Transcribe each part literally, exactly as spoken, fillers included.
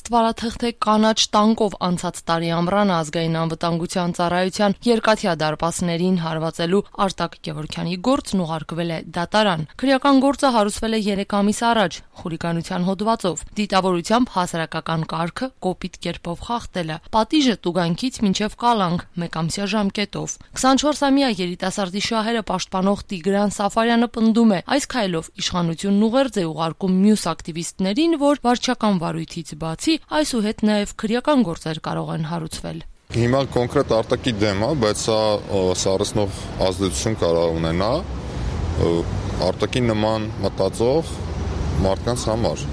Ստվարաթղթե կանաչ տանկով անցած տարի ամռանը ազգային անվտանգության ծառայության երկաթյա դարպասներին հարվածելու Արտակ Գևորգյանի գործն ուղարկվել է դատարան։ Քրեական գործը հարուցվել է երեք ամիս առաջ խուլիգանության հոդվածով, դիտավորությամբ հասարակական կարգը կոպիտ կերպով խախտելը, պատիժը տուգանքից մինչև կալանք մեկամսյա ժամկետով։ քսանչորսամյա երիտասարդի շահերը պաշտպանող Տիգրան Սաֆարյանը պնդում է, այս քայլով իշխանությունն ուղերձ է ուղարկում մյուս ակտիվիստներին, որ վարչական վարույթից բացի այսուհետ նաև քրեական գործեր կարող են հարուցվել։ Հիմա կոնկրետ Արտակի դեմ է, բայց սա սառեցնող ազդեցություն կարող ունենա Արտակի նման մտածող մարդկանց համար։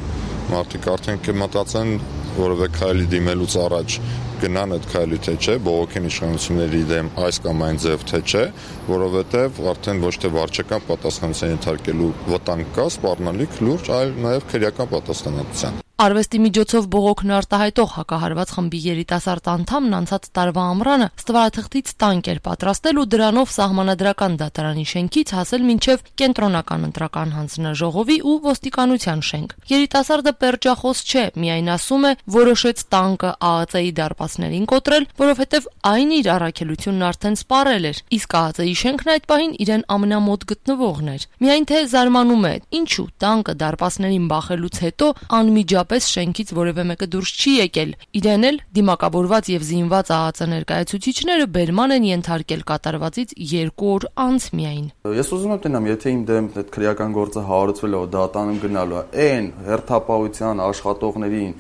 Մարդիկ արդեն կմտածեն որևէ քայլի դիմելուց առաջ գնան այդ քայլի թե չէ, բողոքեն իշխանությունների դեմ այս կամ այն ձև թե չէ, որովհետև արդեն ոչ թե վարչական պատասխանատվության ենթարկելու վտանգ կա, սպառնալիք լուրջ, այլ նաև քրեական պատասխանատվության։ Արվեստի միջոցով բողոքն արտահայտող հակահարված խմբի երիտասարդ անդամն անցած տարվա ամռանը ստվարաթղթից տանկ էր պատրաստել ու դրանով սահմանադրական դատարանի շենքից հասել մինչև կենտրոնական ընտրական հանձնաժողովի ու ոստիկանության շենք։ Երիտասարդը պերճախոս չէ, միայն ասում է, որոշեց տանկը ԱԱԾ-ի դարպասներին կոտրել, որովհետև այն իր առաքելությունն արդեն սպառել էր, իսկ ԱԱԾ-ի շենքն այդ պահին իրեն ամենամոտ գտնվողն էր։ Միայն թե զարմանում է, ինչու տանկը դարպասներին բախելուց հետո անմիջապես պես շենքից որևէ մեկը դուրս չի եկել։ Իրեն էլ դիմակավորված եւ զինված ԱԱԾ ներկայացուցիչները բերման են ենթարկել կատարվածից երկու օր անց միայն։ Ես ուզում եմ տենամ, եթե իմ դեմ այդ քրեական գործը հարուցվել է, դատանում գնալու է, այն հերթապահության աշխատողներին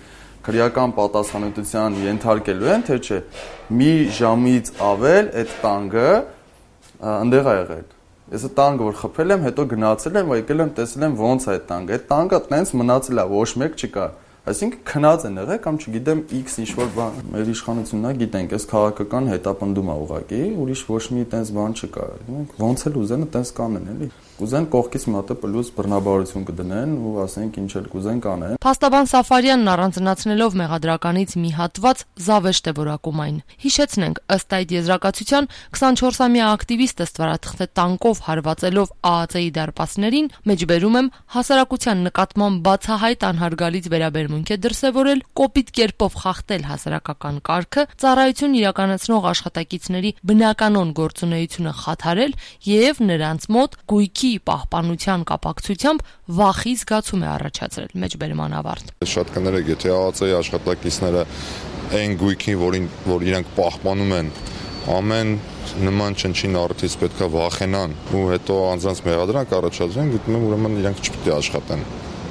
քրեական պատասխանատվության ենթարկելու են, թե չէ։ Մի ժամից ավել այդ տանգը այնտեղ է եղել։ Ես այդ տանգը որ խփել եմ, հետո գնացել եմ, եկել եմ տեսել եմ ոնց է այդ տանգը։ Այդ տանգը տենց մնացել է, ոչ մեկ չկա։ Այսինքն քնած են եղել կամ չգիտեմ X ինչ-որ բան։ Մեր իշխանությունն է, գիտենք, այս քաղաքական հետապնդում է ուղղակի, ուրիշ ոչ մի տենց բան չկա։ Ոնց էլ ուզեն, տենց կանեն, էլի։ Կուզեն կողքից մի հատ պլյուս բռնաբարություն կդնեն ու ասենք ինչ էլ կուզեն կանեն։ Փաստաբան Սաֆարյանն առանձնացնելով մեղադրականից մի հատված զավեշտ է որակում այն։ Հիշեցնենք, ըստ այդ եզրակացության քսանչորսամյա ակտիվիստը ստվարաթղթե տանկով հարվածելով ԱԱԾ-ի դարպասներին, մեջբերում եմ հասարակության նկատմամբ բացահայտ անհարգալից վերաբերմունք է դրսևորել, կոպիտ կերպով խախտել հասարակական կարգը, ծառայություն իրականացնող աշխատակիցների բնականոն գործունեությունը խաթարել եւ նրանց մոտ գույքի պահպանության կապակցությամբ վախի զգացում է առաջացրել մեջբերման ավարտ։ Շատ կներեք, եթե ԱԱԾ-ի աշխատակիցները այն գույքին, որին որ իրենք պահպանում են, ամեն նման չնչին առիթից պետքա վախենան ու հետո անձանց մեղադրանք առաջադրեն, գտնում եմ ուրեմն իրենք չպետք է աշխատեն։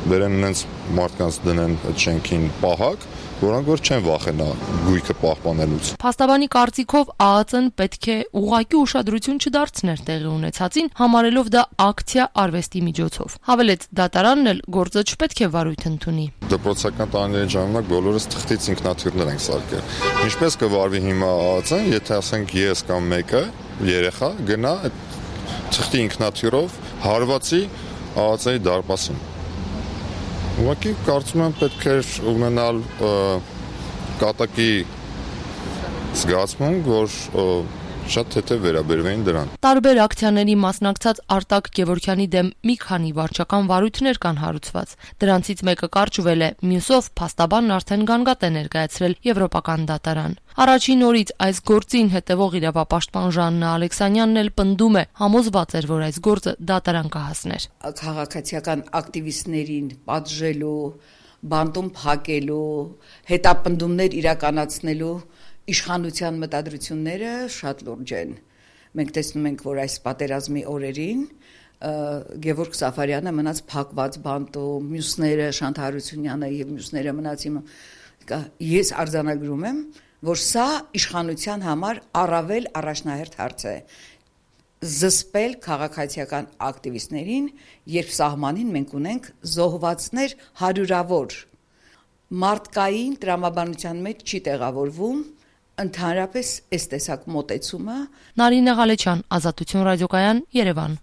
Բերեն նրանց մարդկանց դնեն այդ շենքին պահակ, որոնք որ չեն վախենա գույքը պահպանելուց։ Փաստաբանի կարծիքով ԱԱԾ-ն պետք է ուղղակի ուշադրություն չդարձներ տեղի ունեցածին, համարելով դա ակցիա արվեստի միջոցով։ Հավելեց, դատարանն էլ գործը չպետք է վարույթ ընդունի։ Դպրոցական տարիների ժամանակ բոլորս թղթից ինքնաթիռներ ենք սարքել։ Ինչպես կվարվի հիմա ԱԱԾ-ն, եթե ասենք ես կամ մեկը երեխա գնա այդ թղթի ինքնաթիռով հարվածի ԱԱԾ-ի դարպասին։ Ուղղակի կարծում եմ պետք է ունենալ կատակի զգացմունք, որ շատ թեթև վերաբերվեին դրան։ Տարբեր ակցիաների մասնակցած Արտակ Գևորգյանի դեմ մի քանի վարչական վարույթներ կան հարուցված։ Դրանցից մեկը կարճվել է, մյուսով փաստաբանն արդեն գանգատ է ներկայացրել Եվրոպական դատարան։ Առաջին օրից այս գործին հետևող իրավապաշտպան Ժաննա Ալեքսանյանն էլ պնդում է, համոզված էր, որ այս գործը դատարան կհասներ։ Քաղաքացիական ակտիվիստներին պատժելու, բանտում փակելու, հետապնդումներ իրականացնելու իշխանության մտադրությունները շատ լուրջ են։ Մենք տեսնում ենք, որ այս պատերազմի օրերին Գևորգ Սաֆարյանը մնաց փակված բանտում, մյուսները Շանթ Հարությունյանը եւ մյուսները մնաց իմ։ Ես արձանագրում եմ, որ սա իշխանության համար առավել առաջնահերթ հարց է։ Զսպել քաղաքացիական ակտիվիստներին, երբ սահմանին մենք ունենք զոհվածներ հարյուրավոր։ Մարդկային տրամաբանության մեջ չի տեղավորվում ընդհանրապես այս տեսակ մոտեցումը։ Նարինե Ղալեչյան, Ազատություն ռադիոկայան, Երևան։